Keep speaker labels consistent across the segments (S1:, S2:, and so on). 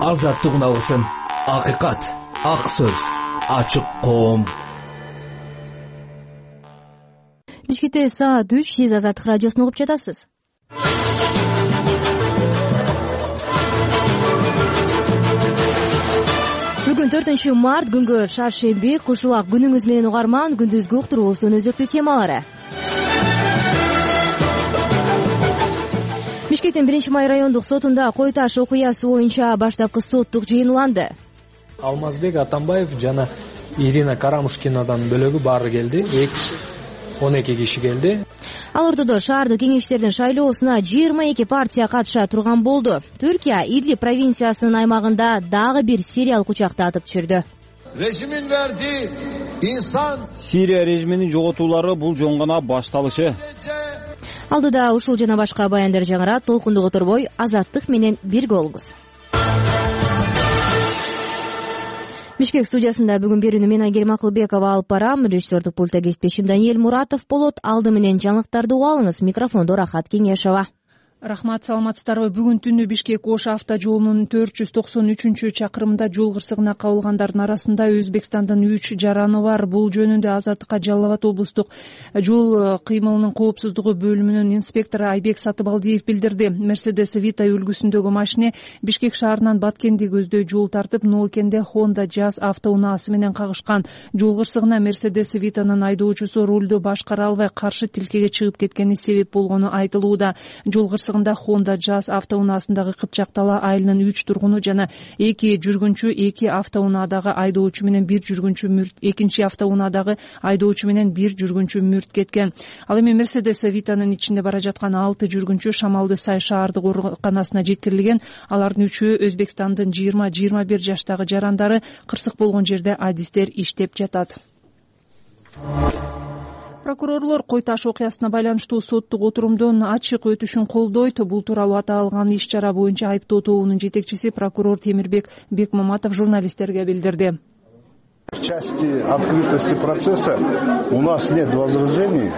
S1: азаттык уналгысын. Акыйкат, ак сөз, ачык коом.
S2: Бишкекте саат 3, сиз Азаттык радиосун угуп жатасыз. Бүгүн 4-март күнгө шаршемби, куш убак. Күнүңүз менен угарман, күндүзгү уктуруубуздун өзөктүү темалары. Бишкектин 1-май райондук сотунда Кой Таш окуясы боюнча баштапкы соттук жыйын уланды.
S3: Алмазбек Атамбаев жана Ирина Карамушкинадан бөлөгү баары келди. 12 киши келди.
S2: Ал ортодо шаардык кеңештердин шайлоосуна 22 партия катыша турган болду. Түркия Идлиб провинциясынын аймагында дагы бир сириялык учакты атып түшүрдү.
S4: Режимин верди инсан.
S5: Сирия режиминин жоготуулары бул жөн гана башталышы.
S2: Алдыда ушул жана башка баяндар жаңырат. Толкундук оторбой, Азаттык менен бирге болуңуз. Бишкек студиясында бүгүн берүүнү мен Айгерим Акылбекова алып барам. Режиссердик пультта кесиптешим Даниэль Муратов болот. Алды менен жаңылыктарды угуп алыңыз. Микрофондо Рахат Кеңешова.
S6: Рахмат, саламатсыздарбы? Бүгүн түнү Бишкек-Ош автожолунун 493-чакырымында жол кырсыгына кабылгандардын арасында Өзбекстандын 3 жараны бар. Бул жөнүндө Азаттыкка Жалал Абад облустук жол кыймылынын коопсуздугу бөлүмүнүн инспектору Айбек Сатыбалдиев билдирди. Mercedes Vito үлгүсүндөгү машине Бишкек шаарынан Баткенди көздөй жол тартып, Ноокенде Honda Jazz автоунаасы менен кагышкан. Жол кырсыгына Mercedes Vito'нун айдоочусу рулду башкара албай каршы тилкеге чыгып кеткени себеп болгону айтылууда. Жол Honda Jazz автоунаасындагы Кыпчактала айылынын 3 тургуну жана 2 жүргүнчү, 2 автоунаадагы айдоочу менен 1 жүргүнчү мүрт, экинчи автоунаадагы айдоочу менен 1 жүргүнчү мүрт кеткен. Ал эми Mercedes Vito'нун ичинде бара жаткан 6 жүргүнчү Шамалды Сай шаардык ооруканасына жеткирилген. Алардын 3-өө Өзбекстандын 20-21 жаштагы жарандары. Кырсык болгон жерде адистер иштеп жатат. Прокурорлор Кой Таш окуясына байланыштуу соттук отурумдун ачык өтүшүн колдойт. Бул тууралуу аталган иш-чара боюнча айыптоо тобунун жетекчиси прокурор Темирбек Бекмаматов журналисттерге билдирди.
S7: В части открытости процесса у нас нет возражений.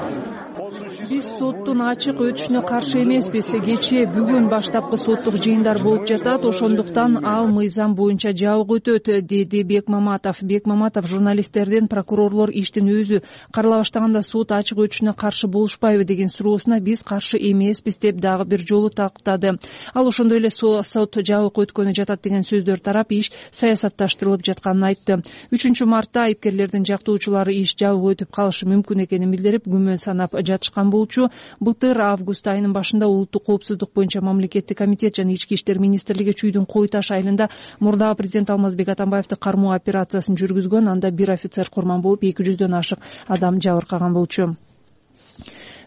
S6: Биз соттун ачык өтүшүнө каршы эмеспиз. Кечээ бүгүн баштапкы соттук жыйындар болуп жатат. Ошондуктан ал мыйзам боюнча жабык өтөт, деди Бекмаматов. Бекмаматов журналисттерден прокурорлор иштин өзү карала баштаганда сот ачык өтүшүнө каршы болушпайбы деген суроосуна биз каршы эмеспиз деп дагы бир жолу тактады. Ал ошондой эле сот жабык өткөнү жатат деген сөздөр тарап иш саясатташтырылып жатканын айтты. 3-мартта айыпкерлердин жактоочулары иш жабык өтүп калышы мүмкүн экенин билдирип, күмөн санап жатышкан болчу. Былтыр август айынын башында улуттук коопсуздук боюнча мамлекеттик комитет жана ички иштер министрлиги Чүйдүн Кой Таш айылында мурдагы президент Алмазбек Атамбаевди кармоо операциясын жүргүзгөн. Анда бир офицер курман болуп, 200дөн ашык адам жабыркаган болчу.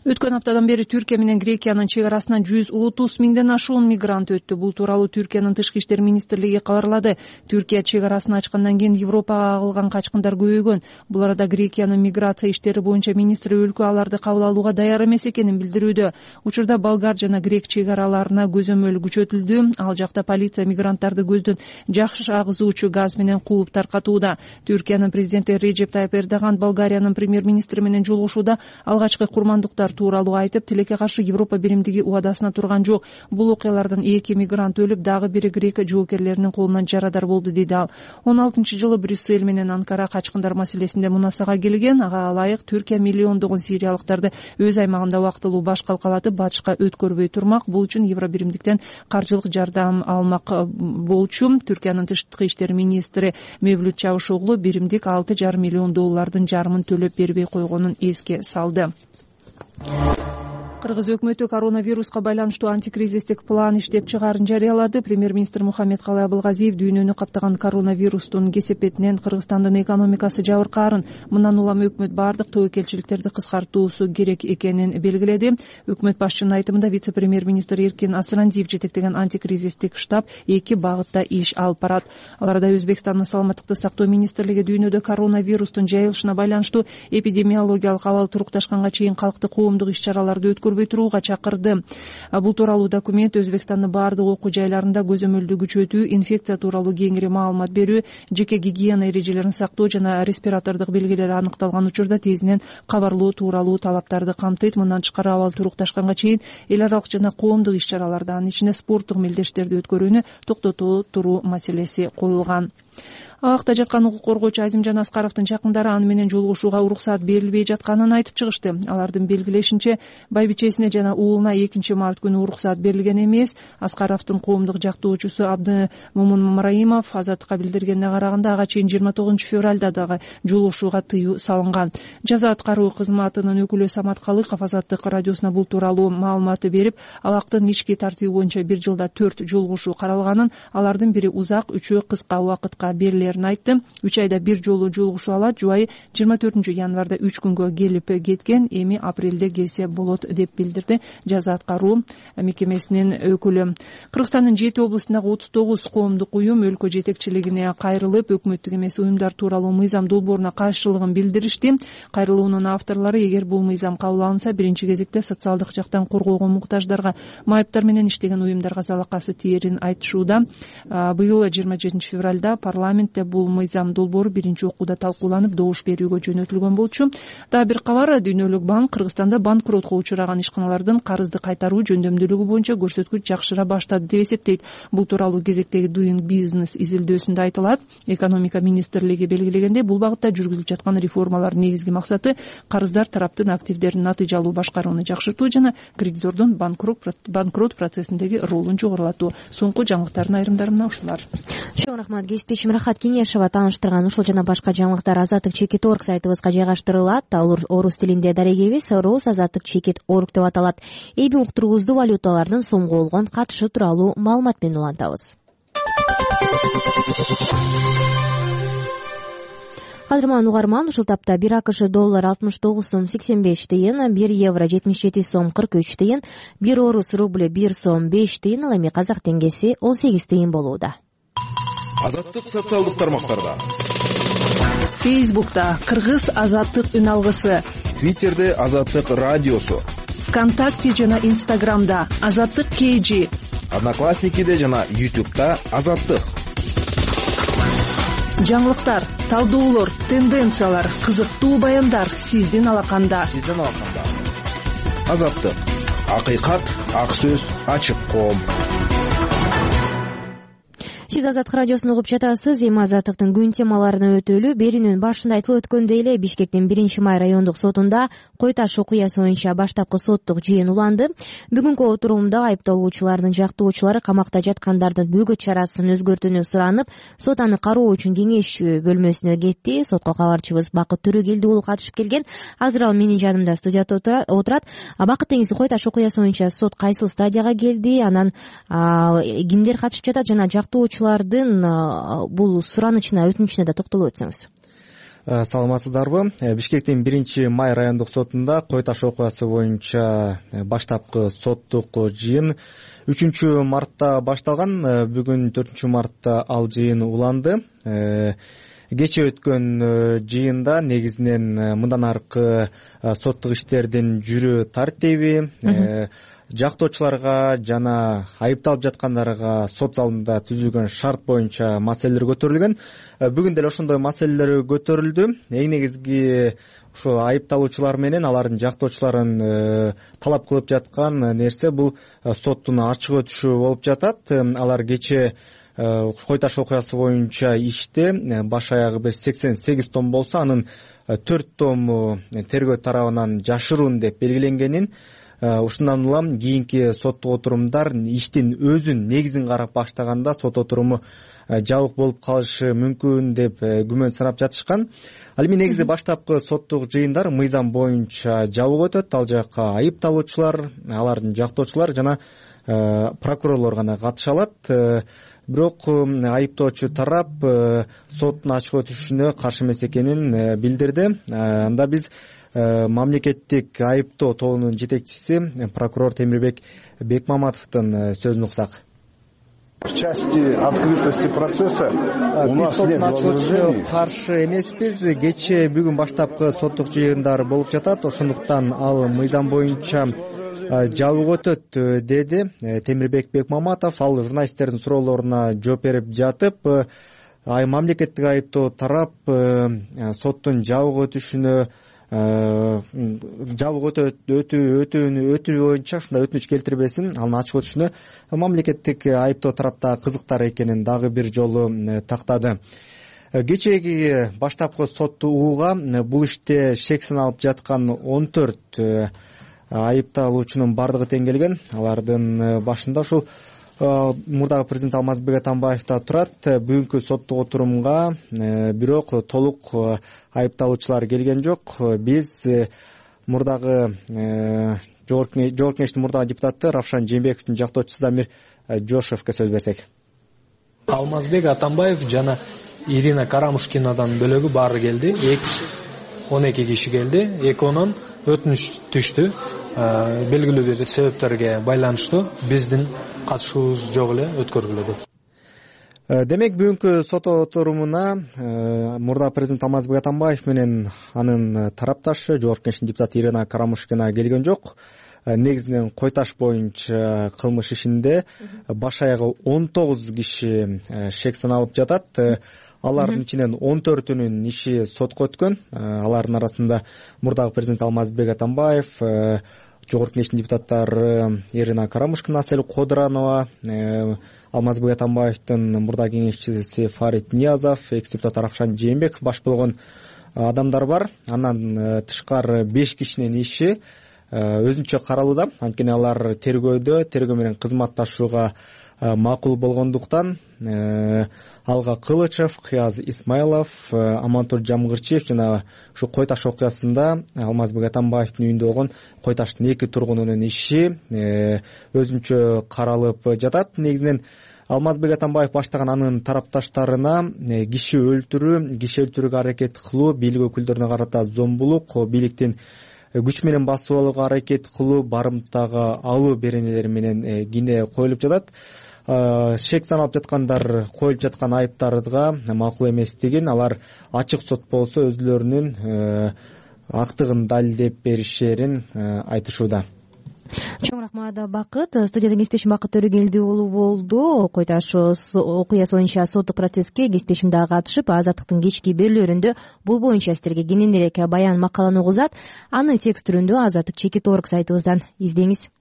S6: Өткөн аптадан бери Түркия менен Грекиянын чек арасынан 130 миңден ашуун мигрант өттү. Бул тууралуу Түркиянын тышкы иштер министрлиги кабарлады. Түркия чек арасын ачкандан кийин Европага агылган качкындар көбөйгөн. Бул арада Грекиянын миграция иштери боюнча министри өлкө аларды кабыл алууга даяр эмес экенин билдирүүдө. Учурда болгар жана грек чек араларына көзөмөл күчөтүлдү. Ал жакта полиция мигранттарды көздөн жакшы агызуучу газ менен кууп таркатууда. Түркиянын президенти Режеп Тайып Эрдоган Болгариянын премьер-министри менен жолугушууда алгачкы курмандыктар тууралуу айтып, тилекке каршы Европа биримдиги убадасына турган жок. Бул окуялардан 2 мигрант өлүп, дагы бири грек жоокерлеринин колунан жарадар болду, деди ал. 16-жылы Брюссель менен Анкара качкындар маселесинде мунасага келген. Ага ылайык Түркия миллиондогон сириялыктарды өз аймагында убактылуу баш калкалатып, батышка өткөрбөй турмак. Бул үчүн Евробиримдиктен каржылык жардам алмак болчу. Түркиянын тышкы иштер министри Мевлют Чавушоглу биримдик $6,5 миллион жарымын төлөп бербей койгонун эске салды. Кыргыз өкмөтү коронавируска байланыштуу антикризистик план иштеп чыгаарын жарыялады. Премьер-министр Мухаммедкалый Абылгазиев дүйнөнү каптаган коронавирустун кесепетинен Кыргызстандын экономикасы жабыркаарын, мындан улам өкмөт бардык тобокелчиликтерди кыскартуусу керек экенин белгиледи. Өкмөт башчынын айтымында вице-премьер-министр Эркин Асырандиев жетектеген антикризистик штаб 2 багытта иш алып барат. Аларда Өзбекстандын саламаттыкты сактоо министрлиги дүйнөдө коронавирустун жайылышына байланыштуу эпидемиологиялык абал турукташканга чейин калкты коомдук иш-чараларды өткөрүүгө көрбөй турууга чакырды. Бул тууралуу документ Өзбекстандын баардык окуу жайларында көзөмөлдү күчөтүү, инфекция тууралуу кеңири маалымат берүү, жеке гигиена эрежелерин сактоо жана респиратордук белгилер аныкталган учурда тезинен кабарлоо тууралуу талаптарды камтыйт. Мындан тышкары абал турукташканга чейин эл аралык жана коомдук иш-чараларды, анын ичинде спорттук мелдештерди өткөрүүнү токтото туруу маселеси коюлган. Абакта жаткан укук коргоочу Азимжан Аскаровдун жакындары аны менен жолугушууга уруксаат берилбей жатканын айтып чыгышты. Алардын белгилешинче, байбичесине жана уулуна 2 март күнү уруксаат берилген эмес. Аскаровдун коомдук жактоочусу Абдымомун Мамраимов Азаттыкка билдиргенине караганда, ага чейин 29 февралда дагы жолугушууга тыюу салынган. Жаза аткаруу кызматынын өкүлү Самат Калыков Азаттык радиосуна бул тууралуу маалыматты берип, абактын ички тартиби боюнча 1 жылда 4 жолугушуу каралганын, алардын бири узак, 3-өө кыска убакытка берилер айтты. 3 айда 1 жолу жолугушуу алат. Жубайы 24 январда 3 күнгө келип кеткен, эми апрелде келсе болот деп билдирди жаза аткаруу мекемесинин өкүлү. Кыргызстандын 7 облустундагы 39 коомдук уюм өлкө жетекчилигине кайрылып, өкмөттүк эмес уюмдар тууралуу мыйзам долбооруна каршылыгын билдиришти. Кайрылуунун авторлору, эгер бул мыйзам кабыл алынса, биринчи кезекте социалдык жактан коргоого муктаждарга, майыптар менен иштеген уюмдарга залакасы тиерин айтышууда. Быйыл 27 февралда парламентте бул мыйзам долбоору биринчи окууда талкууланып, добуш берүүгө жөнөтүлгөн болчу. Дагы бир кабар, Дүйнөлүк банк Кыргызстанда банкротко учураган ишканалардын карызды кайтаруу жөндөмдүүлүгү боюнча көрсөткүч жакшыра баштады деп эсептейт. Бул тууралуу кезектеги Doing Business изилдөөсүндө айтылат. Экономика министрлиги белгилегендей, бул багытта жүргүзүлүп жаткан реформалардын негизги максаты карыздар тараптын активдерин натыйжалуу башкарууну жакшыртуу жана кредитордун банкрот процессиндеги ролун жогорулатуу. Соңку жаңылыктардын айрымдары мына ушулар.
S2: Чоң рахмат, кесиптешим Рахат Кеңешова тааныштырган ушул жана башка жаңылыктар Азаттык.org сайтыбызга жайгаштырылат. Ал орус тилинде дарегебиз Рус Азаттык.org деп аталат. Эми уктуруубузду валюталардын сомго болгон катышы тууралуу маалымат менен улантабыз. Кадырман угарман, ушул тапта 1 АКШ доллар 69 сом 85 тыйын, 1 евро 77 сом 43 тыйын, 1 орус рубль 1 сом 5 тыйын, ал эми казак теңгеси 18 тыйын болууда.
S8: Азаттык социалдык тармактарда.
S6: Фейсбукта Кыргыз Азаттык үн алгысы,
S8: Твиттерде Азаттык радиосу,
S6: ВКонтакте жана Инстаграмда Азаттык KG,
S8: Одноклассникиде жана YouTube'да Азаттык.
S6: Жаңылыктар, талдоолор, тенденциялар, кызыктуу баяндар сиздин алаканда.
S8: Азаттык. Акыйкат, ак сөз, ачык коом.
S2: Сиз Азаттык радиосун угуп жатасыз. Эми Азаттыктын күн темаларына өтөлү. Берүүнүн башында айтылып өткөндөй эле, Бишкектин 1-май райондук сотунда Кой Таш окуясы боюнча баштапкы соттук жыйын уланды. Бүгүнкү отурумда айыпталуучулардын жактоочулары камакта жаткандардын бөгөт чарасын өзгөртүүнү суранып, сот аны кароо үчүн кеңеш бөлмөсүнө кетти. Сотко кабарчыбыз Бакыт Төрөгелди уулу катышып келген. Азыр ал менин жанымда студияда отурат. Бакыт деңиз, Кой Таш окуясы боюнча сот кайсыл стадияга келди? Анан кимдер катышып жатат жана жактоочулардын бул суранычына, өтүнүчүнө да токтолуп өтсөңүз.
S9: Саламатсыздарбы? Бишкектин 1-май райондук сотунда Кой Таш окуясы боюнча баштапкы соттук жыйын 3-мартта башталган. Бүгүн 4-мартта ал жыйын уланды. Кече өткөн жыйында негизинен мындан аркы соттук иштердин жүрүү тартиби, жактоочуларга жана айыпталып жаткандарга сот залында түзүлгөн шарт боюнча маселелер көтөрүлгөн. Бүгүн деле ошондой маселелер көтөрүлдү. Эң негизги ушул айыпталуучулар менен алардын жактоочуларын талап кылып жаткан нерсе бул соттун ачык өтүшү болуп жатат. Алар кече Кой Таш окуясы боюнча иште баш аягы 88 том болсо, анын 4 тому тергөө тарабынан жашыруун деп белгиленгенин, ушундан улам кийинки соттук отурумдар иштин өзүн негизин карап баштаганда сот отуруму жабык болуп калышы мүмкүн деп күмөн санап жатышкан. Ал эми негизи баштапкы соттук жыйындар мыйзам боюнча жабык өтөт. Ал жакка айыпталуучулар, алардын жактоочулар жана прокурорлор гана катыша алат. Бирок айыптоочу тарап соттун ачык өтүшүнө каршы эмес экенин билдирди. Анда биз мамлекеттик айыптоо тобунун жетекчиси прокурор Темирбек Бекмаматовдун сөзүн уксак.
S7: В части открытости процесса у нас нет возражений.
S9: Каршы эмеспиз. Кечээ бүгүн баштапкы соттук жыйындар болуп жатат. Ошондуктан ал мыйзам боюнча жабык өтөт, деди Темирбек Бекмаматов. Ал журналисттердин суроолоруна жооп берип жатып, мамлекеттик айыптоо тарап соттун жабык өтүшүнө жабык өтүү боюнча ушундай өтүнүч келтирбесин, анын ачык өтүшүнө мамлекеттик айыптоо тарапта кызыктар экенин дагы бир жолу тактады. Кечээги баштапкы соттууга бул иште шек саналып жаткан 14 айыпталуучунун бардыгы тең келген. Алардын башында ушул мурдагы президент Алмазбек Атамбаев да турат. Бүгүнкү соттук отурумга бирок толук айыпталуучулар келген жок. Биз мурдагы жогорку кеңештин мурдагы депутаты Равшан Жээнбековдун жактоочусу Замир Жошевке сөз берсек.
S3: Алмазбек Атамбаев жана Ирина Карамушкинадан бөлөгү баары келди. 12 киши келди. Экөөнөн өтүнүч түштү. Белгилүү бир себептерге байланыштуу биздин катышуубуз жок эле өткөрүлдү. Демек
S9: бүгүнкү сот отурумуна мурда президент Алмазбек Атамбаев менен анын тарапташы жогорку кеңештин депутаты Ирина Карамушкина келген жок. Негизинен Койташ боюнча кылмыш ишинде баш аягы 19 киши шек саналып жатат. Алардын ичинен 14-үнүн иши сотко өткөн. Алардын арасында мурдагы президент Алмазбек Атамбаев, жогорку кеңештин депутаттары Ирина Карамушкина, Асель Кодранова, Алмазбек Атамбаевдин мурдагы кеңешчиси Фарид Ниязов, экс-депутат Равшан Жээнбеков баш болгон адамдар бар. Андан тышкары 5 кишинин иши өзүнчө каралууда. Анткени алар тергөө менен кызматташууга макул болгондуктан Алга Кылычев, Кыяз Исмайлов, Амантур Жамгырчиев жана ушу Койташ окуясында Алмазбек Атамбаевдин үйүндө болгон Койташтын 2 тургунунун иши өзүнчө каралып жатат. Негизинен Алмазбек Атамбаев баштаган анын тарапташтарына киши өлтүрүүгө аракет кылуу, бийлик өкүлдөрүнө карата зомбулук, бийликтин күч менен басып алууга аракет кылуу, барымтага алуу беренелери менен кине коюлуп жатат. Шек саналып жаткандар коюлуп жаткан айыптарга макул эместигин, алар ачык сот болсо өзүлөрүнүн актыгын далилдеп беришерин айтышууда.
S2: Чоң рахмат Бакыт. Студияда кесиптешим Бакыт Төрөгелди уулу болду. Койташ окуясы боюнча соттук процесске кесиптешим дагы катышып, Азаттыктын кечки берүүлөрүндө бул боюнча сиздерге кененирээк баян макаланы угузат. Аны текст түрүндө Азаттык Чекит.org сайтыбыздан издеңиз.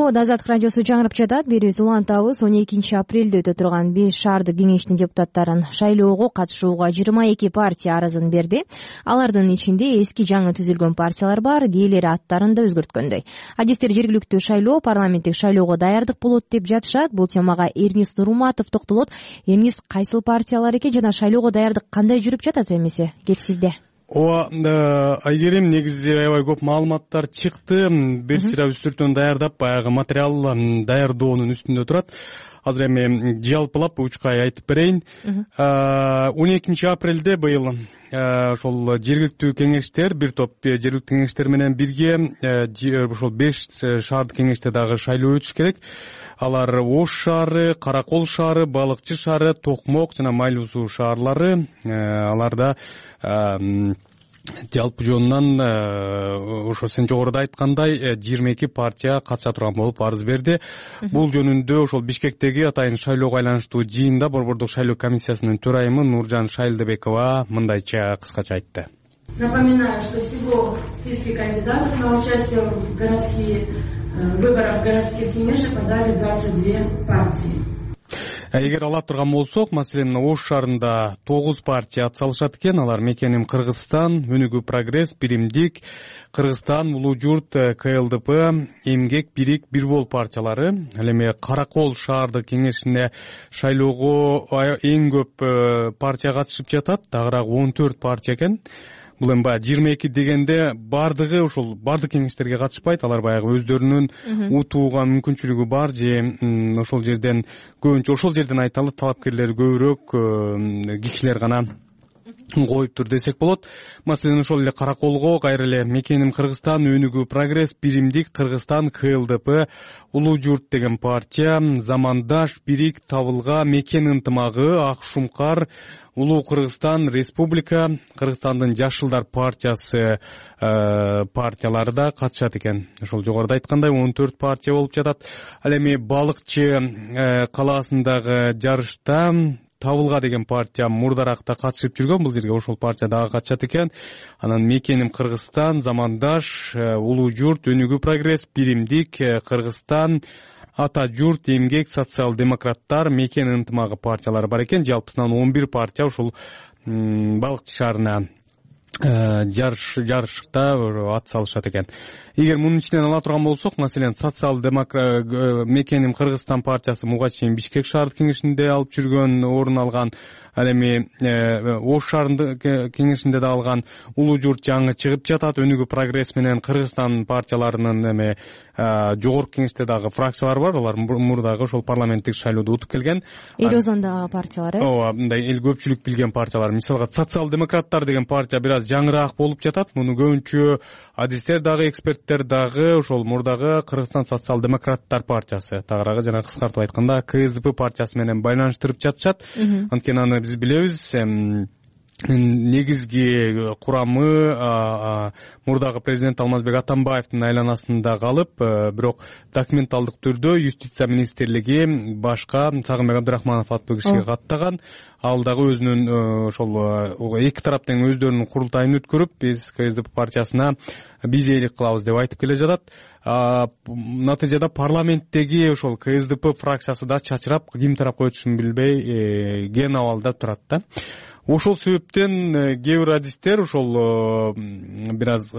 S2: Азаттык радиосу жаңырып жатат. Берүүбүздү улантабыз. 12 апрелде өтө турган 5 шаардык кеңештин депутаттарын шайлоого катышууга 22 партия арызын берди. Алардын ичинде эски жаңы түзүлгөн партиялар бар, кээлери аттарын да өзгөрткөндөй. Адистер жергиликтүү шайлоо парламенттик шайлоого даярдык болот деп жатышат. Бул темага Эрнис Нурматов токтолот. Эрнис, кайсыл партиялар экен жана шайлоого даярдык кандай жүрүп жатат эмесе? Кеп сизде.
S10: Айгерим, негизи аябай көп маалыматтар чыкты. Бир сыйра үстүртөн даярдап, баягы материал даярдоонун үстүндө турат. Азыр эми жалпылап учкай айтып берейин. 12 апрелде быйыл ошол жергиликтүү кеңештер, бир топ жергиликтүү кеңештер менен бирге ошол 5 шаардык кеңеште дагы шайлоо өтүш керек. Алар Ош шаары, Каракол шаары, Балыкчы шаары, Токмок жана Майлуу суу шаарлары. Аларда жалпы жонунан ошо сен жогоруда айткандай 22 партия катыша турган болуп арыз берди. Бул жөнүндө ошол Бишкектеги атайын шайлоого айланыштуу жыйында Борбордук шайлоо комиссиясынын төрайымы Нуржан Шайлдыбекова мындайча кыскача айтты.
S11: Напоминаю, что всего в списке кандидатов на участие в городские выборах городских кеңеш подали 22 партии.
S10: Эгер ала турган болсок, маселен, Ош шаарында 9 партия атсалышат экен. Алар Мекеним Кыргызстан, Өнүгүү Прогресс, Биримдик, Кыргызстан, Улуу Журт, КЛДП, Эмгек, Бирик, Бирбол партиялары. Ал эми Каракол шаардык кеңешине шайлоого эң көп партия катышып жатат. Дагыраак 14 партия экен. бул эми баягы 22 дегенде баардыгы ошол баардык кеңештерге катышпайт, алар баягы өздөрүнүн утууга мүмкүнчүлүгү бар же ошол жерден көбүнчө ошол жерден айталы талапкерлер көбүрөөк кишилер гана коюптур десек болот. Маселен ошол эле Караколго кайра эле Мекеним Кыргызстан, Өнүгүү Прогресс, Биримдик Кыргызстан, КЛДП, Улуу Журт деген партия, Замандаш, Бирик, Табылга, Мекен ынтымагы, Ак Шумкар, Улуу Кыргызстан, Республика, Кыргызстандын Жашылдар партиясы партиялары да катышат экен. Ошол жогоруда айткандай 14 партия болуп жатат. Ал эми Балыкчы калаасындагы жарышта Табылга деген партия мурдаракта катышып жүргөн, бул жерге ошол партия дагы катышат экен. Анан Мекеним Кыргызстан, Замандаш, Улуу Журт, Өнүгүү Прогресс, Биримдик Кыргызстан, Ата Журт, Эмгек, Социал-демократтар, Мекен ынтымагы партиялары бар экен. Жалпысынан 11 партия ушул Балыкчы шаарына жарышта ат салышат экен. Эгер мунун ичинен ала турган болсок, маселен, Мекеним Кыргызстан партиясы муга чейин Бишкек шаардык кеңешинде алып жүргөн, орун алган. Ал эми Ош шаарындык кеңешинде да алган. Улуу Журт жаңы чыгып жатат. Өнүгүү Прогресс менен Кыргызстан партияларынын эми жогорку кеңеште дагы фракциялар бар. Алар мурдагы ошол парламенттик шайлоодо утуп келген.
S2: Эл озондагы партиялар,
S10: ооба, мындай эл көпчүлүк билген партиялар. Мисалга Социал-демократтар деген партия бир аз жаңыраак болуп жатат. Муну көбүнчө адистер дагы, эксперттер дагы ошол мурдагы Кыргызстан Социал-демократтар партиясы, тагыраагы жана кыскартып айтканда КСДП партиясы менен байланыштырып жатышат. Анткени аны биз билебиз, негизги курамы мурдагы президент Алмазбек Атамбаевдин айланасында калып, бирок документалдык түрдө юстиция министрлиги башка Сагынбек Абдрахманов аттуу кишиге каттаган. Ал дагы өзүнүн ошол эки тараптын өздөрүнүн курултайын өткөрүп, биз КСДП партиясына биз ээлик кылабыз деп айтып келе жатат. Натыйжада парламенттеги ошол КСДП фракциясы да чачырап, ким тарапка өтүшүн билбей кен абалда турат да. Ошол себептен кээ бир адистер ошол бир аз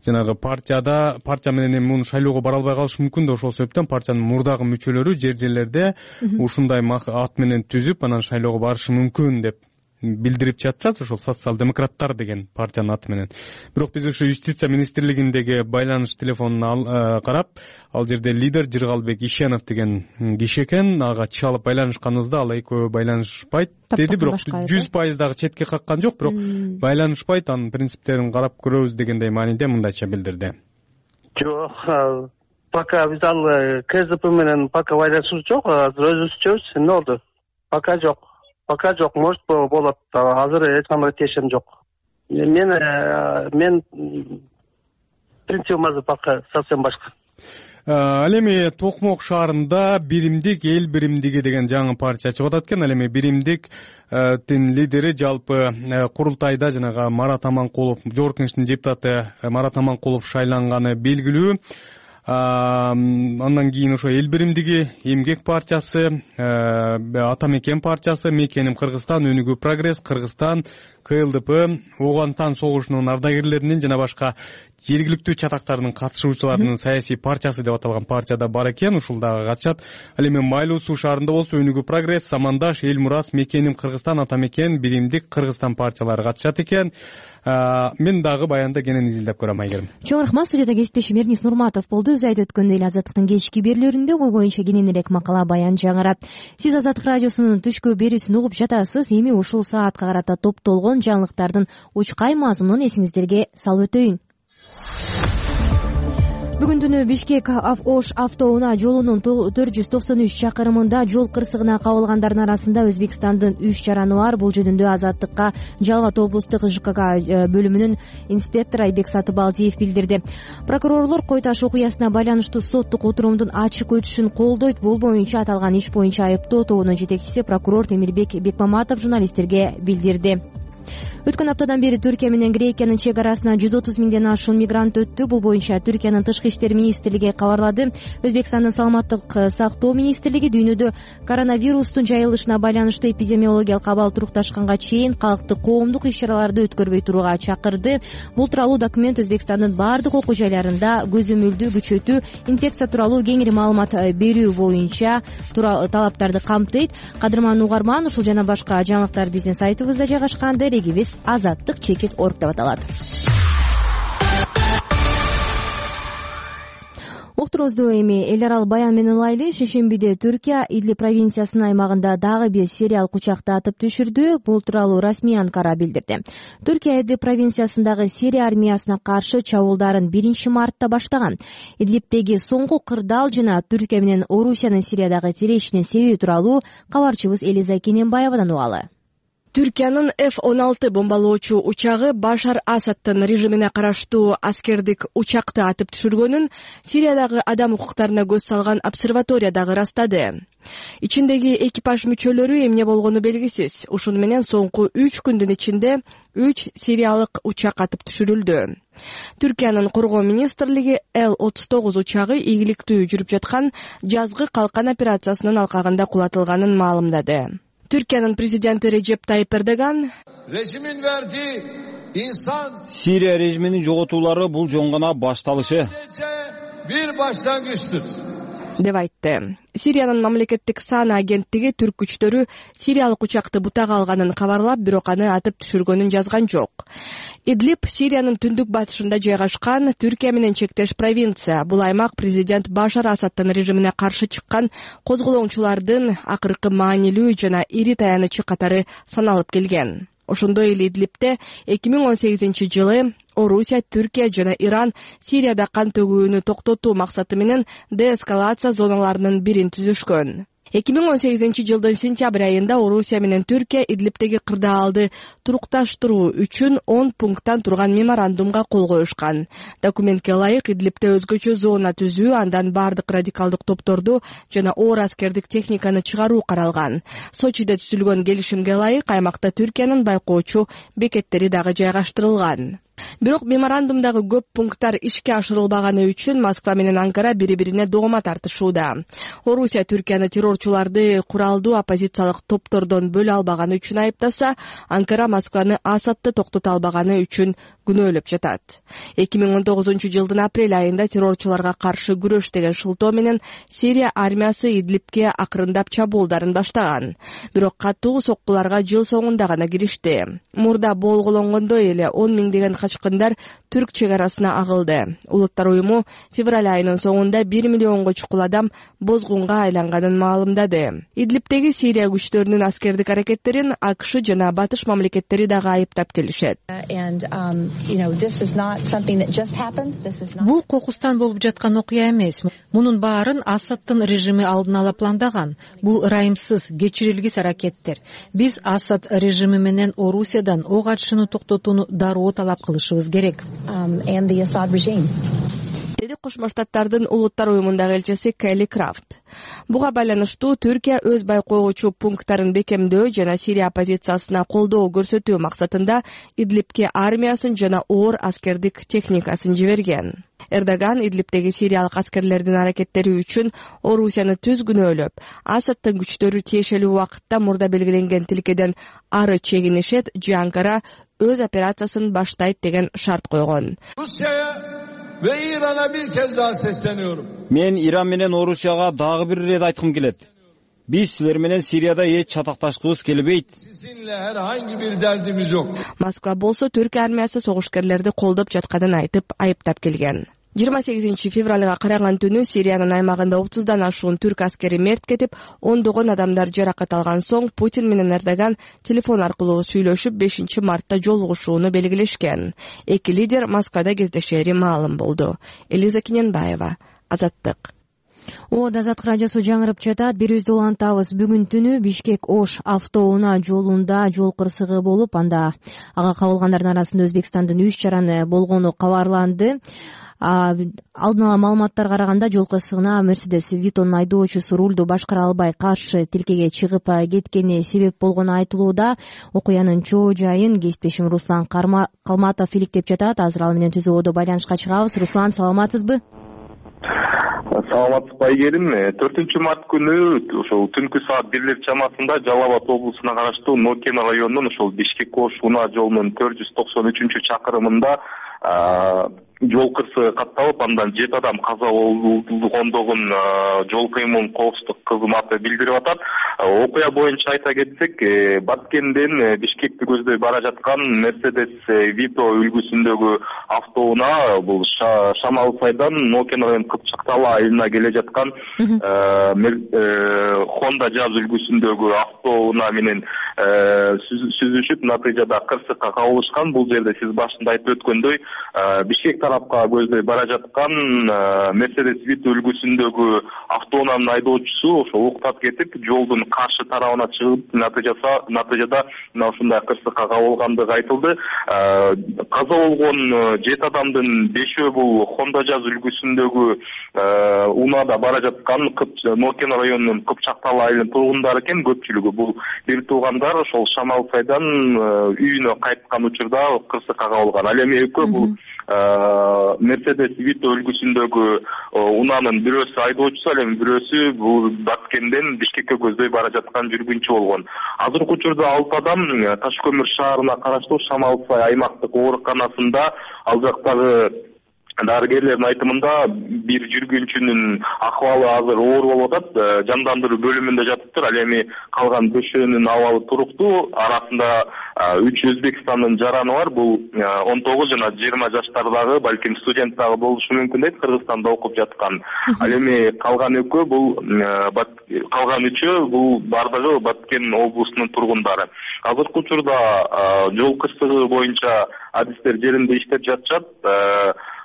S10: жанагы партия менен муну шайлоого бара албай калышы мүмкүн да, ошол себептен партиянын мурдагы мүчөлөрү жерлерде ушундай ат менен түзүп, анан шайлоого барышы мүмкүн деп билдирип жатышат, ошол Социал-демократтар деген партиянын аты менен. Бирок биз ошо юстиция министрлигиндеги байланыш телефонуна карап, ал жерде лидер Жыргалбек Ишенов деген киши экен. Ага чалып байланышканыбызда ал экөө байланышпайт деди, бирок 100% дагы четке каккан жок, бирок байланышпайт, анын принциптерин карап көрөбүз дегендей мааниде мындайча билдирди.
S12: Жок, пока биз ал КСДП менен пока байланышыбыз жок, азыр өзүбүзчөбүз. Эмне болду? Пока жок. Пока жок, может болот. Азыр эч кандай тиешем жок. Мен принцибим азыр пока совсем башка.
S10: Ал эми Токмок шаарында Биримдик эл биримдиги деген жаңы партия чыгып атат экен. Ал эми Биримдиктин лидери жалпы курултайда жанагы Марат Аманкулов, жогорку кеңештин депутаты Марат Аманкулов шайланганы белгилүү. Андан кийин ошо эл биримдиги, Эмгек партиясы, Ата Мекен партиясы, Мекеним Кыргызстан, Өнүгүү Прогресс, Кыргызстан, КЛДП, Ооган тан согушунун ардагерлеринин жана башка жергиликтүү чатактардын катышуучуларынын саясий партиясы деп аталган партияда бар экен. Ушул дагы катышат. Ал эми Майлуу суу шаарында болсо Өнүгүү Прогресс, Самандаш, Эл Мурас, Мекеним Кыргызстан, Ата Мекен, Биримдик Кыргызстан партиялары катышат экен. Мен дагы баянда кенен изилдеп көрөм, Айгерим.
S2: Чоң рахмат. Студияда кесиптешим Эрнис Нурматов болду. Өз айтып өткөндөй эле Азаттыктын кечки берүүлөрүндө бул боюнча кененирээк макала баян жаңырат. Сиз Азаттык радиосунун түшкү берүүсүн угуп жатасыз. Эми ушул саатка карата топтолгон жаңылыктардын учкай мазмунун эсиңиздерге салып өтөйүн. Бүгүн түнү Бишкек Ош автоунаа жолунун 493 чакырымында жол кырсыгына кабылгандардын арасында Өзбекстандын 3 жараны бар. Бул жөнүндө Азаттыкка Жалал абад облустук ЖКК бөлүмүнүн инспектору Айбек Сатыбалдиев билдирди. Прокурорлор Кой Таш окуясына байланыштуу соттук отурумдун ачык өтүшүн колдойт. Бул боюнча аталган иш боюнча айыптоо тобунун жетекчиси прокурор Темирбек Бекмаматов журналисттерге билдирди. Өткөн аптадан бери Түркия менен Грекиянын чек арасына 130 миңден ашуун мигрант өттү. Бул боюнча Түркиянын тышкы иштер министрлиги кабарлады. Өзбекстандын саламаттык сактоо министрлиги дүйнөдө коронавирустун жайылышына байланыштуу эпидемиологиялык абал турукташканга чейин калктык коомдук иш-чараларды өткөрбөй турууга чакырды. Бул тууралуу документ Өзбекстандын бардык окуу жайларында көзөмөлдү күчөтүү, инфекция тууралуу кеңири маалымат берүү боюнча талаптарды камтыйт. Кадырман угарман, ушул жана башка жаңылыктар биздин сайтыбызда жайгашкан. Дарегибиз Азаттык чекит орг деп аталат. Уктуруубузду эми эл аралык баян менен улайлы. Шейшембиде Түркия Идлиб провинциясынын аймагында дагы бир сириялык учакты атып түшүрдү. Бул тууралуу расмий Анкара билдирди. Түркия Идлиб провинциясындагы Сирия армиясына каршы чабуулдарын 1-мартта баштаган. Идлибдеги соңку кырдаал жана Түркия менен Орусиянын Сириядагы тирешинин себеби тууралуу кабарчыбыз Элиза Кененбаевадан угалы.
S13: Түркиянын F-16 бомбалоочу учагы Башар Асадтын режимине караштуу аскердик учакты атып түшүргөнүн Сириядагы адам укуктарына көз салган обсерватория дагы ырастады. Ичиндеги экипаж мүчөлөрү эмне болгону белгисиз. Ушуну менен соңку 3 күндүн ичинде 3 сириялык учак атып түшүрүлдү. Түркиянын коргоо министрлиги Л-39 учагы ийгиликтүү жүрүп жаткан жазгы калкан операциясынын алкагында кулатылганын маалымдады. Türkiye'nin prezidenti Recep Tayyip Erdogan
S4: rejimin verdiği insan
S5: Siriya rejiminin жоготуулары бул жөн гана башталышы
S4: bir başlangıçtır
S13: деп айтты. Сириянын мамлекеттик саана агенттиги түрк күчтөрү сириялык учакты бутага алганын кабарлап, бирок аны атып түшүргөнүн жазган жок. Идлиб Сириянын түндүк батышында жайгашкан Түркия менен чектеш провинция. Бул аймак президент Башар Асадтын режимине каршы чыккан козголоңчулардын акыркы маанилүү жана ири таянычы катары саналып келген. Ошондой эле Идлибде 2018-жылы Орусия, Түркия жана Иран Сирияда кан төгүүнү токтотуу максаты менен деэскалация зоналарынын бирин түзүшкөн. 2018-жылдын сентябрь айында Орусия менен Түркия Идлибдеги кырдаалды турукташтыруу үчүн 10 пункттан турган меморандумга кол коюшкан. Документке ылайык Идлибде өзгөчө зона түзүү, андан бардык радикалдык топторду жана оор аскердик техниканы чыгаруу каралган. Сочиде түзүлгөн келишимге ылайык аймакта Түркиянын байкоочу бекеттери дагы жайгаштырылган. Бирок меморандумдагы көп пункттар ишке ашырылбаганы үчүн Москва менен Анкара бири-бирине доoma тартышууда. Орусия Түркияны террорчуларды куралдуу оппозициялык топтордон бөлө албаганы үчүн айыптаса, Анкара Москваны Асадты токтото албаганы үчүн күнөөлөп жатат. 2019-жылдын апрель айында террорчуларга каршы күрөш деген шылтоо менен Сирия армиясы Идлибке акырындап чабуулдарын баштаган. Бирок катуу соккуларга жыл соңунда гана киришти. Мурда болгологондой эле 10 миңдеген качкындар түрк чек арасына агылды. Улуттар уюму февраль айынын соңунда 1 миллионго чукул адам бозгунга айланганын маалымдады. Идлибдеги Сирия күчтөрүнүн аскердик аракеттерин АКШ жана батыш мамлекеттери дагы айыптап келишет.
S6: Бул кокустан болуп жаткан окуя эмес. Мунун баарын Асадтын режими алдын ала пландаган. Бул ырайымсыз, кечирилгис аракеттер. Биз Асад режими менен Орусиядан ок атышууну токтотууну дароо талап кылышыбыз керек.
S13: Деди Кошмо Штаттардын улуттар уюмундагы элчиси Келли Крафт. Буга байланыштуу Түркия өз байкоочу пункттарын бекемдөө жана Сирия оппозициясына колдоо көрсөтүү максатында Идлибке армиясын жана оор аскердик техникасын жиберген. Эрдоган Идлибдеги сириялык аскерлердин аракеттери үчүн Орусияны түз күнөөлөп, Асадтын күчтөрү тиешелүү убакытта мурда белгиленген тилкеден ары чегинишет же Анкара өз операциясын баштайт деген шарт койгон.
S4: Ve İran'a bir kez daha sesleniyorum.
S5: Мен Иран менен Орусияга дагы бир ирет айткым келет. Биз силер менен Сирияда эч чатакташкыбыз келбейт.
S4: Sizinle herhangi bir derdimiz yok.
S13: Москва болсо Түркия армиясы согушкерлерди колдоп жатканын айтып, айыптап келген. 28 февралга караган түнү Сириянын аймагында 30дан ашуун түрк аскери мерт кетип, ондогон адамдар жаракат алган соң Путин менен Эрдоган телефон аркылуу сүйлөшүп 5 мартта жолугушууну белгилешкен. Эки лидер Москвада кездешери маалым болду. Элиза Кененбаева, Азаттык.
S2: Азаттык радиосу жаңырып жатат. Бирибизди улантабыз. Бүгүн түнү Бишкек-Ош автоунаа жолунда жол кырсыгы болуп, анда ага кабылгандардын арасында Өзбекстандын 3 жараны болгону кабарланды. Алдын ала маалыматтарга караганда жол кырсыгына Мерседес Витонун айдоочусу рулду башкара албай каршы тилкеге чыгып кеткени себеп болгону айтылууда. Окуянын чоо жайын кесиптешим Руслан Калматов иликтеп жатат. Азыр ал менен түзүүдө байланышка чыгабыз. Руслан, саламатсызбы?
S14: Саламатсызбы Айгерим. 4-март күнү ошол түнкү саат 1 чамасында Жалал Абад облусуна караштуу Нокен районунун ошол Бишкек-Ош унаа жолунун 493-чакырымында жол кырсыгы катталып, андан 7 адам каза болгондугун жол кыймыл коопсуздук кызматы билдирип атат. Окуя боюнча айта кетсек, Баткенден Бишкекти көздөй бара жаткан Mercedes Vito үлгүсүндөгү автоунаа бул Шамал-Сайдан Нокен район Кыпчакталы айылына келе жаткан Honda Jazz үлгүсүндөгү автоунаа менен сүзүшүп, натыйжада кырсыкка кабылышкан. Бул жерде сиз башында айтып өткөндөй, Бишкек тарапка көздөй бара жаткан Mercedes Vito үлгүсүндөгү автоунаанын айдоочусу ошо уктап кетип, жолдун каршы тарабына чыгып, натыйжада мына ушундай кырсыкка кабылгандыгы айтылды. Каза болгон 7 адамдын 5-өө бул Honda Jazz үлгүсүндөгү унаада бара жаткан Нокен районунун Кыпчакталы айылынын тургундары экен. Көпчүлүгү бул бир туугандар ошол Шамал-Сайдан үйүнө кайткан учурда кырсыкка кабылган. Ал эми экөө бул Mercedes Vito үлгүсүндөгү унаанын бирөөсү айдоочусу, ал эми бирөөсү бул Баткенден Бишкекке көздөй бара жаткан жүргүнчү болгон. Азыркы учурда 6 адам Таш көмүр шаарына караштуу Шамал-Сай аймактык ооруканасында, ал жактагы дарыгерлердин айтымында бир жүргүнчүнүн акыбалы азыр оор болуп атат, жандандыруу бөлүмүндө жатыптыр. Ал эми калган 5өөнүн абалы туруктуу. Арасында 3 Өзбекстандын жараны бар. Бул 19 жана 20 жаштардагы, балким студент дагы болушу мүмкүн дейт, Кыргызстанда окуп жаткан. Ал эми калган 3 бул бардыгы Баткен облусунун тургундары. Азыркы учурда жол кырсыгы боюнча адистер жеринде иштеп жатышат.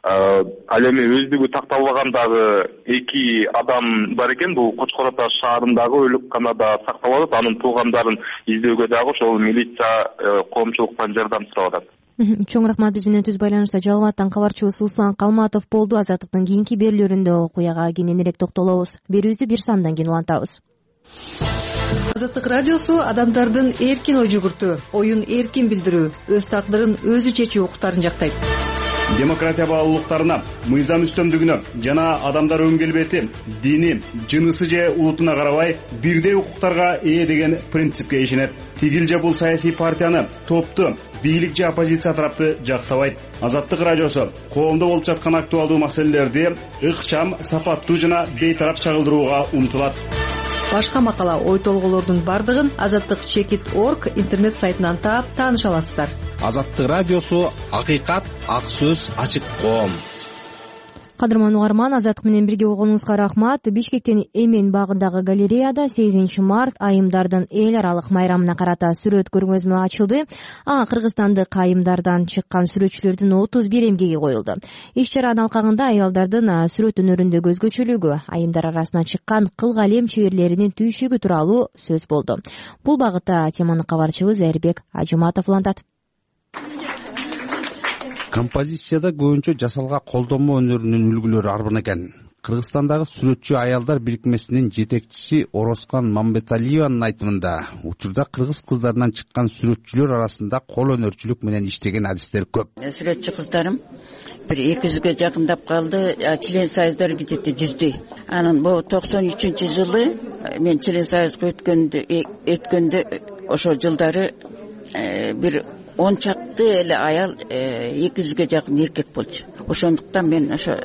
S14: Ал эми өздүгү такталбаган дагы 2 адам бар экен. Бул Кочкор Ата шаарындагы өлүкканада сакталып атат. Анын туугандарын издөөгө дагы ошол милиция коомчулуктан жардам сурап атат.
S2: Чоң рахмат. Биз менен түз байланышта Жалал абадтан кабарчыбыз Улсан Калматов болду. Азаттыктын кийинки берүүлөрүндө окуяга кененирээк токтолобуз. Берүүбүздү бир сандан кийин улантабыз.
S6: Азаттык радиосу адамдардын эркин ой жүгүртүү, оюн эркин билдирүү, өз тагдырын өзү чечүү укуктарын жактайт.
S15: Демократия баалуулуктарына, мыйзам үстөмдүгүнө жана адамдар өн келбети, дини, жынысы же улутуна карабай бирдей укуктарга ээ деген принципке ишенет. Тигил же бул саясий партияны, топту, бийлик же оппозиция тарапты жактабайт. Азаттык радиосу коомдо болуп жаткан актуалдуу маселелерди ыкчам, сапаттуу жана бейтарап чагылдырууга умтулат.
S6: Башка макала, ой толголордун бардыгын azattik.org интернет сайтынан таап тааныша аласыздар.
S16: Азаттык радиосу акыйкат, ак сөз, ачык коом.
S2: Кадырман угарман, Азаттык менен бирге болгонуңузга рахмат. Бишкектин Эмен багындагы галереяда 8 март айымдардын эл аралык майрамына карата сүрөт көргөзмө ачылды. Кыргызстандык айымдардан чыккан сүрөтчүлөрдүн 31 эмгеги коюлду. Иш-чаранын алкагында аялдардын сүрөт өнөрүндө өзгөчөлүгү, айымдар арасына чыккан кыл калем чеберлеринин түйшүгү тууралуу сөз болду. Бул багытта теманы кабарчыбыз Эрбек Ажыматов улантат.
S17: Композицияда көбүнчө жасалга колдонмо өнөрүнүн үлгүлөрү арбын экен. Кыргызстандагы сүрөтчү аялдар бирикмесинин жетекчиси Орозкан Мамбеталиеванын айтымында, учурда кыргыз кыздарынан чыккан сүрөтчүлөр арасында кол өнөрчүлүк менен иштеген адистер көп.
S18: Сүрөтчү кыздарым бир 200гө жакындап калды, член союздар битет 100дей. Анан бул 93-жылы мен член союзга өткөндө ошол жылдары бир 10 чакты эле аял 200гө жакын эркек болчу. Ошондуктан мен ошо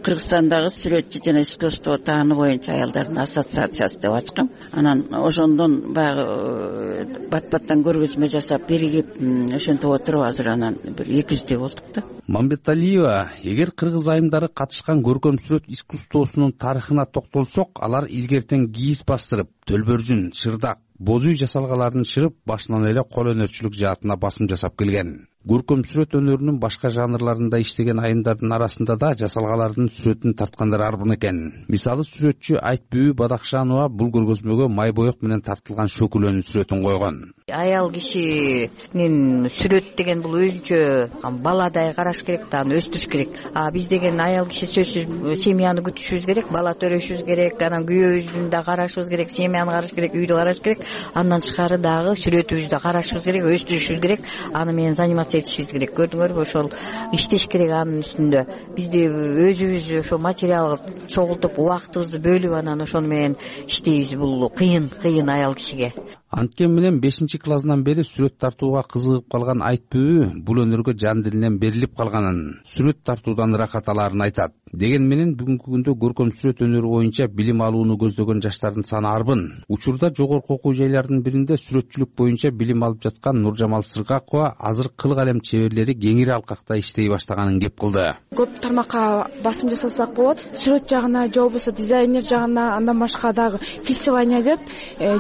S18: Кыргызстандагы сүрөтчү жана искусство тааны боюнча аялдардын ассоциациясы деп ачкам. Анан ошондон баягы бат-баттан көргөзмө жасап биригип ошентип отуруп азыр анан бир 200дей болдук да.
S17: Мамбеталиева, эгер кыргыз айымдары катышкан көркөм сүрөт искусствосунун тарыхына токтолсок, алар илгертен кийиз бастырып, төлбөржүн, шырдак, боз үй жасалгаларын шырып, башынан эле кол өнөрчүлүк жаатына басым жасап келген. Көркөм сүрөт өнөрүнүн башка жанрларында иштеген айымдардын арасында да жасалгалардын сүрөтүн тарткандар арбын экен. Мисалы, сүрөтчү Айтбүү Бадакшанова бул көргөзмөгө май боек менен тартылган шөкүлөнүн сүрөтүн койгон.
S19: Аял кишинин сүрөт деген бул өзүнчө баладай караш керек, аны өстүрүш керек. Биз деген аял киши сөзсүз семьяны күтүшүбүз керек, бала төрөшүбүз керек, анан күйөөбүздү да карашыбыз керек, семьяны караш керек, үйдү караш керек. Андан тышкары дагы сүрөтүбүздү карашыбыз керек, өстүрүшүбүз керек. Аны менен заниматься этишибиз керек. Көрдүңөрбү, ошол иштеш керек анын үстүндө. Бизди өзүбүз ошо материал чогултуп, убактыбызды бөлүп анан ошону менен иштейбиз. Бул кыйын аял кишиге.
S17: Анткени менен 5-классынан бери сүрөт тартууга кызыгып калган айтбүбү бул өнөргө жан дилинен берилип калганын, сүрөт тартуудан ырахат алаарын айтат. Деген менен бүгүнкү күндө көркөм сүрөт өнөрү боюнча билим алууну көздөгөн жаштардын саны арбын. Учурда жогорку окуу жайлардын биринде сүрөтчүлүк боюнча билим алып жаткан Нуржамал Сыргакова азыр кыл калем чеберлери кеңири алкакта иштей баштаганын кеп кылды.
S20: Көп тармакка басым жасасак болот. Сүрөт жагына же болбосо дизайнер жагына, андан башка дагы фехтование деп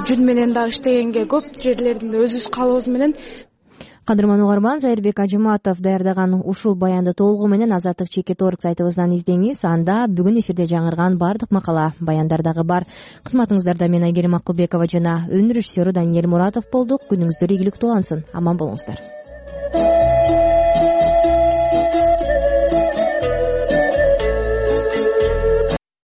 S20: жүн менен дагы иштегенге көп жерлеринде өзүбүз калыбыз менен.
S2: Кадырман угарман, Зайырбек Ажыматов даярдаган ушул баянды толугу менен Азаттык Чекит.org сайтыбыздан издеңиз. Анда бүгүн эфирде жаңырган бардык макала, баяндар дагы бар. Кызматыңыздарда мен Айгерим Акылбекова жана өнөр режиссеру Даниэль Муратов болдук. Күнүңүздөр ийгиликтүү улансын. Аман болуңуздар.